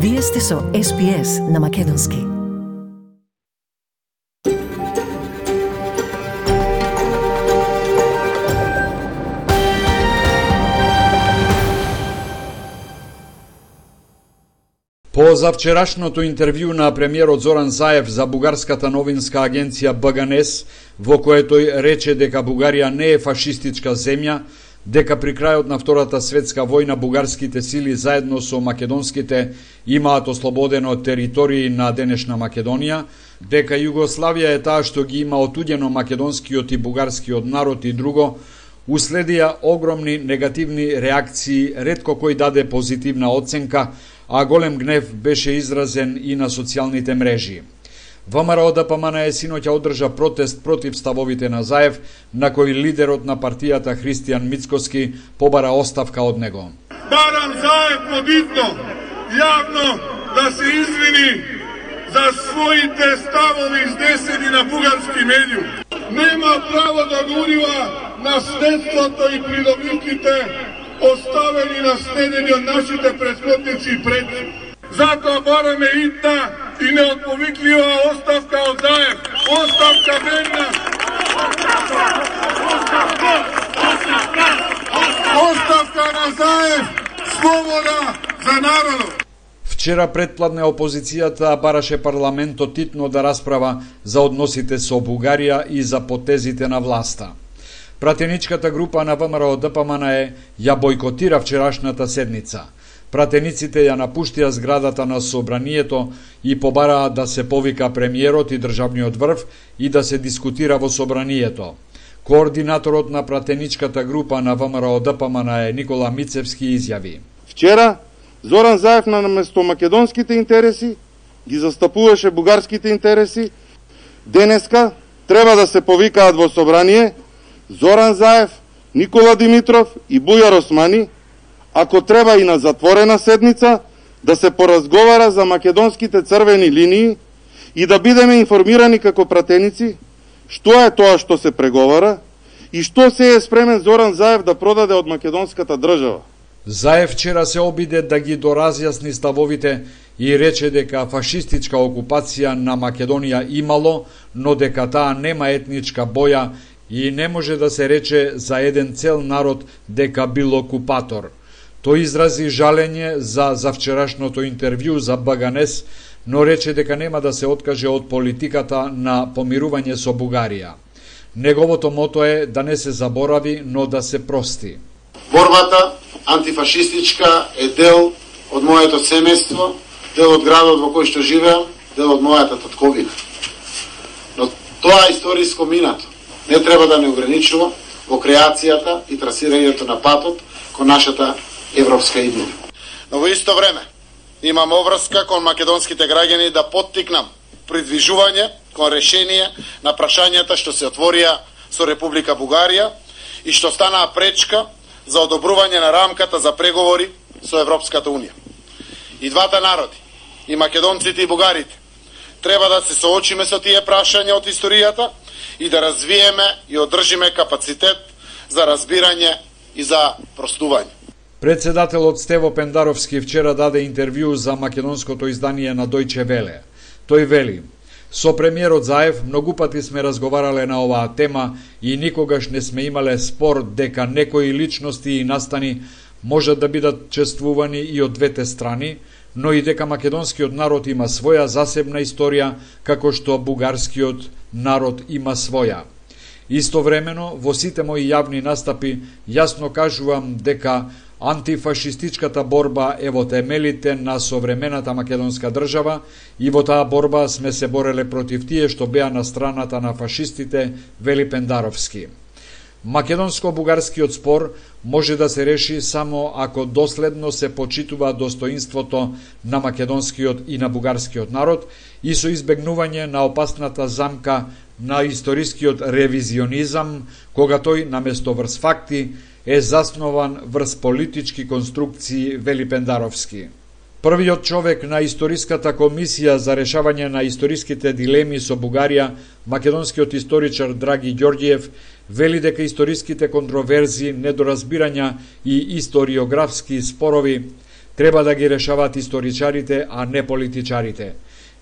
Вие сте со SPS на Македонски. По завчерашното интервју на премиерот Зоран Заев за бугарската новинска агенција БГНЕС, во кој тој рече дека Бугарија не е фашистичка земја, дека при крајот на Втората светска војна бугарските сили заедно со македонските имаат ослободено територии на денешна Македонија, дека Југославија е таа што ги има отуѓено македонскиот и бугарскиот народ и друго, уследија огромни негативни реакции, ретко кој даде позитивна оценка, а голем гнев беше изразен и на социјалните мрежи. ВМРО-ДПМН синоќа одржа протест против ставовите на Заев, на кој лидерот на партијата Христијан Мицкоски побара оставка од него. Барам Заев подитно, јавно да се извини за своите ставови изнесени на бугарски медиум. Нема право да го урива наследството и придобивките оставени наследени од нашите претходници и предци. Затоа бараме итна и неотповиклива оставка од Заев. Оставка бедна. Оставка на Заев. Слобода за народот. Вчера предпладне опозицијата бараше парламентот титно да расправа за односите со Бугарија и за потезите на власта. Пратеничката група на ВМРО-ДПМН ја бойкотира вчерашната седница. Пратениците ја напуштија зградата на собранието и побараа да се повика премиерот и државниот врв и да се дискутира во собранието. Координаторот на пратеничката група на ВМРО-ДПМН Никола Мицевски изјави: Вчера Зоран Заев наместо македонските интереси ги застапуваше бугарските интереси. Денеска треба да се повикаат во собрание Зоран Заев, Никола Димитров и Бујар Османи, ако треба и на затворена седница, да се поразговара за македонските црвени линии и да бидеме информирани како пратеници што е тоа што се преговара и што се е спремен Зоран Заев да продаде од македонската држава. Заев вчера се обиде да ги доразјасни ставовите и рече дека фашистичка окупација на Македонија имало, но дека таа нема етничка боја и не може да се рече за еден цел народ дека бил окупатор. Тој изрази жалење за вчерашното интервју за БГНЕС, но рече дека нема да се откаже од политиката на помирување со Бугарија. Неговото мото е да не се заборави, но да се прости. Борбата антифашистичка е дел од моето семејство, дел од градот во кој што живеам, дел од мојата татковина. Но тоа историско минато не треба да не ограничува во креацијата и трасирањето на патот кон нашата европска идеја. Но во исто време имам обврска кон македонските граѓани да поттикнам придвижување кон решение на прашањата што се отворија со Република Бугарија и што станаа пречка за одобрување на рамката за преговори со Европската Унија. И двата народи, и македонците и бугарите, треба да се соочиме со тие прашања од историјата и да развиеме и одржиме капацитет за разбирање и за простување. Председателот Стево Пендаровски вчера даде интервју за македонското издание на Дојче Веле. Тој вели: со премиерот Заев многу пати сме разговарале на оваа тема и никогаш не сме имале спор дека некои личности и настани можат да бидат чествувани и од двете страни, но и дека македонскиот народ има своја засебна историја, како што бугарскиот народ има своја. Истовремено, во сите мои јавни настапи јасно кажувам дека антифашистичката борба е во темелите на современата македонска држава и во таа борба сме се бореле против тие што беа на страната на фашистите, вели Пендаровски. Македонско-бугарскиот спор може да се реши само ако доследно се почитува достоинството на македонскиот и на бугарскиот народ и со избегнување на опасната замка на историскиот ревизионизам, кога тој наместо врз факти е заснован врз политички конструкции, вели Пендаровски. Првиот човек на Историската комисија за решавање на историските дилеми со Бугарија, македонскиот историчар Драги Ѓорѓиев, вели дека историските контроверзи, недоразбирања и историографски спорови Треба да ги решаваат историчарите, а не политичарите.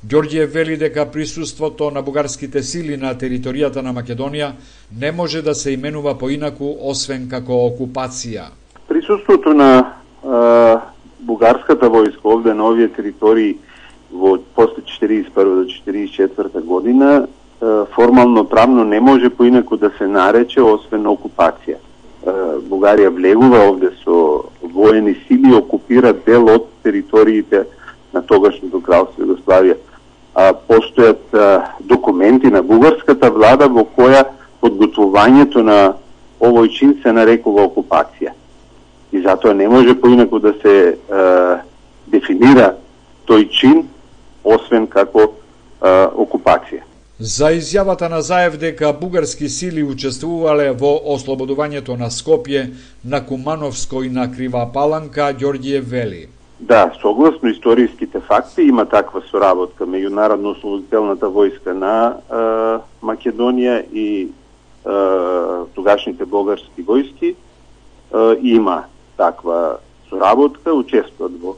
Ѓорѓиев вели дека присуството на бугарските сили на територијата на Македонија не може да се именува поинаку освен како окупација. Присуството на бугарската војска овде на овие територии во после 41 до 44 година формално правно не може поинаку да се нарече освен окупација. Бугарија влегува овде со воени сили, окупира дел од териториите на тогашното кралство Југославија. Постојат документи на бугарската влада во која подготвувањето на овој чин се нарекува окупација. И затоа не може поинаку да се дефинира тој чин освен како окупација. За изјавата на Заев дека бугарски сили учествувале во ослободувањето на Скопје, на Кумановско и на Крива Паланка, Ѓорѓиев вели: Да, согласно историските факти има таква соработка меѓу Народно-ослободителната војска на Македонија и тогашните бугарски војски. Има таква соработка, учествуваат во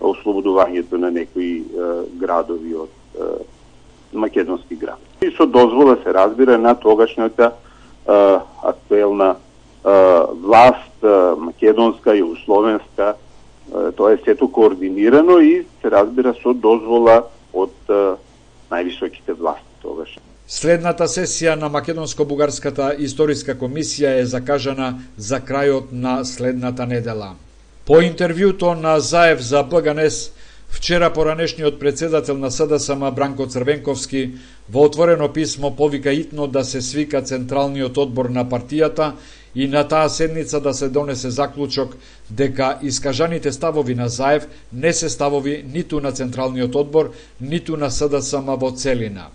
ослободувањето на некои градови од македонски град. И со дозвола се разбира на тогашната актуелна власт, македонска, југословенска, тоа е сето координирано и се разбира со дозвола од највисоките власти тогаш. Следната сесија на Македонско-бугарската историска комисија е закажана за крајот на следната недела. По интервјуто на Заев за БГНС, вчера поранешниот председател на СДСМ Бранко Црвенковски во отворено писмо повика итно да се свика Централниот одбор на партијата и на таа седница да се донесе заклучок дека искажаните ставови на Заев не се ставови ниту на Централниот одбор, ниту на СДСМ во целина.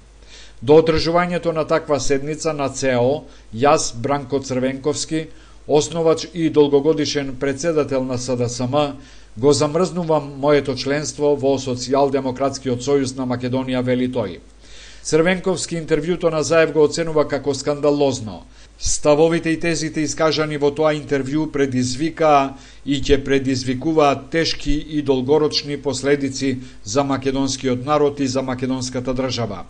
До одржувањето на таква седница на ЦО, јас, Бранко Црвенковски, основач и долгогодишен председател на СДСМ, го замрзнувам моето членство во Социјалдемократскиот сојуз на Македонија, вели тој. Црвенковски интервјуто на Заев го оценува како скандалозно. Ставовите и тезите искажани во тоа интервју предизвикаа и ќе предизвикуваат тешки и долгорочни последици за македонскиот народ и за македонската држава.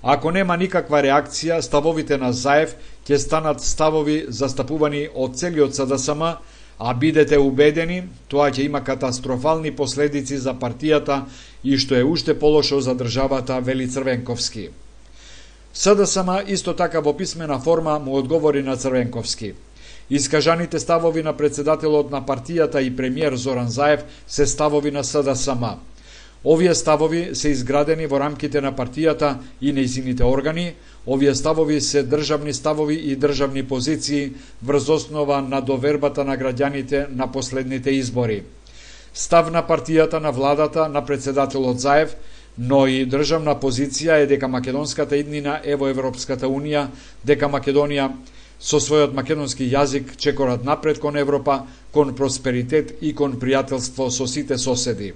Ако нема никаква реакција, ставовите на Заев ќе станат ставови застапувани од целиот СДСМ, а бидете убедени, тоа ќе има катастрофални последици за партијата и што е уште полошо за државата, вели Црвенковски. СДСМ исто така во писмена форма му одговори на Црвенковски. Искажаните ставови на председателот на партијата и премиер Зоран Заев се ставови на СДСМ. Овие ставови се изградени во рамките на партијата и нејзините органи. Овие ставови се државни ставови и државни позиции врз основа на довербата на граѓаните на последните избори. Став на партијата, на владата, на председателот Заев, но и државна позиција е дека македонската иднина е во Европската Унија, дека Македонија со својот македонски јазик чекорат напред кон Европа, кон просперитет и кон пријателство со сите соседи.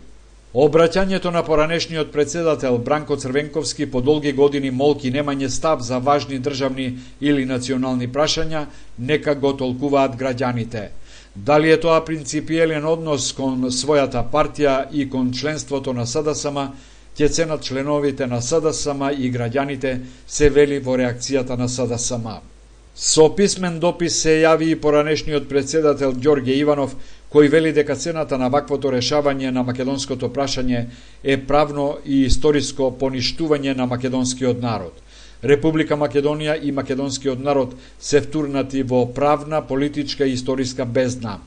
Обраќањето на поранешниот председател Бранко Црвенковски по долги години молки немање став за важни државни или национални прашања, нека го толкуваат граѓаните. Дали е тоа принципиелен однос кон својата партија и кон членството на СДСМ, ќе ценат членовите на СДСМ и граѓаните, се вели во реакцијата на СДСМ. Со писмен допис се јави и поранешниот председател Ѓорѓе Иванов, кој вели дека цената на ваквото решавање на македонското прашање е правно и историско поништување на македонскиот народ. Република Македонија и македонскиот народ се втурнати во правна, политичка и историска бездна.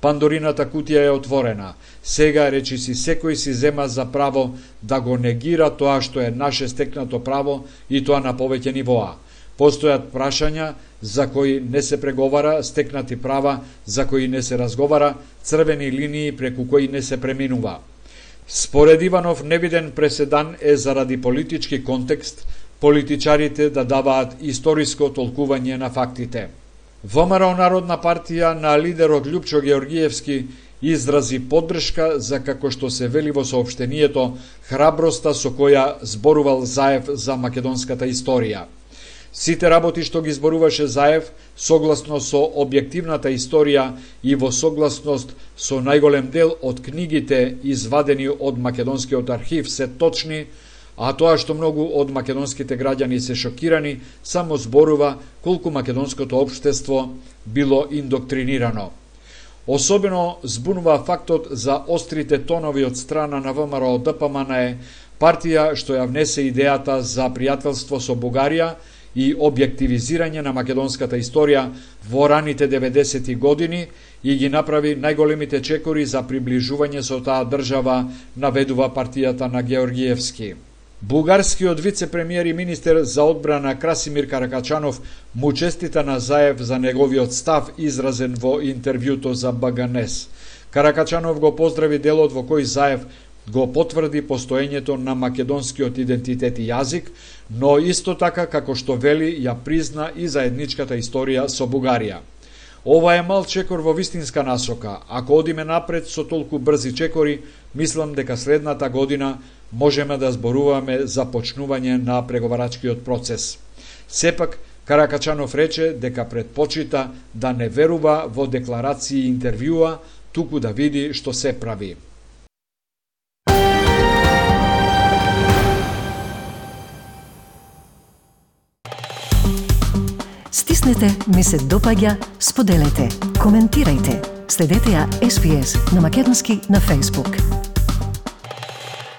Пандорината кутија е отворена. Сега речиси секој си зема за право да го негира тоа што е наше стекнато право и тоа на повеќе нивоа. Постојат прашања за кои не се преговара, стекнати права за кои не се разговара, црвени линии преку кои не се преминува. Според Иванов, невиден преседан е заради политички контекст, политичарите да даваат историско толкување на фактите. ВМРО Народна партија на лидерот Љупчо Георгиевски изрази поддршка за, како што се вели во соопштението, храброста со која зборувал Заев за македонската историја. Сите работи што ги зборуваше Заев, согласно со објективната историја и во согласност со најголем дел од книгите извадени од македонскиот архив се точни, а тоа што многу од македонските граѓани се шокирани, само зборува колку македонското општество било индоктринирано. Особено збунува фактот за острите тонови од страна на ВМРО ДПМН, партија што ја внесе идејата за пријателство со Бугарија и објективизирање на македонската историја во раните 90-ти години и ги направи најголемите чекори за приближување со таа држава, наведува партијата на Георгиевски. Бугарскиот вице-премиер и министер за одбрана Красимир Каракачанов му честита на Заев за неговиот став изразен во интервјуто за БГНЕС. Каракачанов го поздрави делот во кој Заев го потврди постоењето на македонскиот идентитет и јазик, но исто така, како што вели, ја призна и заедничката историја со Бугарија. Ова е мал чекор во вистинска насока. Ако одиме напред со толку брзи чекори, мислам дека следната година можеме да зборуваме за почнување на преговарачкиот процес. Сепак, Каракачанов рече дека предпочита да не верува во декларации и интервјуа, туку да види што се прави. Стиснете, ми се допаѓа, споделете, коментирајте. Следете ја SPS на Македонски на Facebook.